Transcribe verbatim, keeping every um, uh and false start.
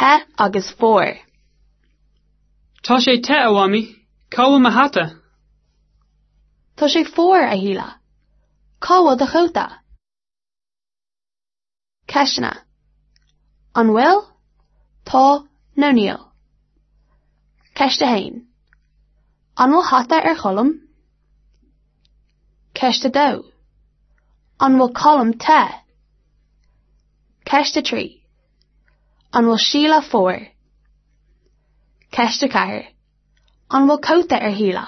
te agus fuar. Tá sé te a Mhamaí, cá bhfuil mo hata? Tá sé fuar a Shíle. Cá bhfuil do chóta? Ceisteanna. An bhfuil? Tá nó níl. Ceist a haon. An bhfuil hata ar Cholm? Ceist a dó. An bhfuil Colm te? Ceist a trí. An bhfuil Síle fuar? Ceist a ceathair. An bhfuil cóta ar Shíle?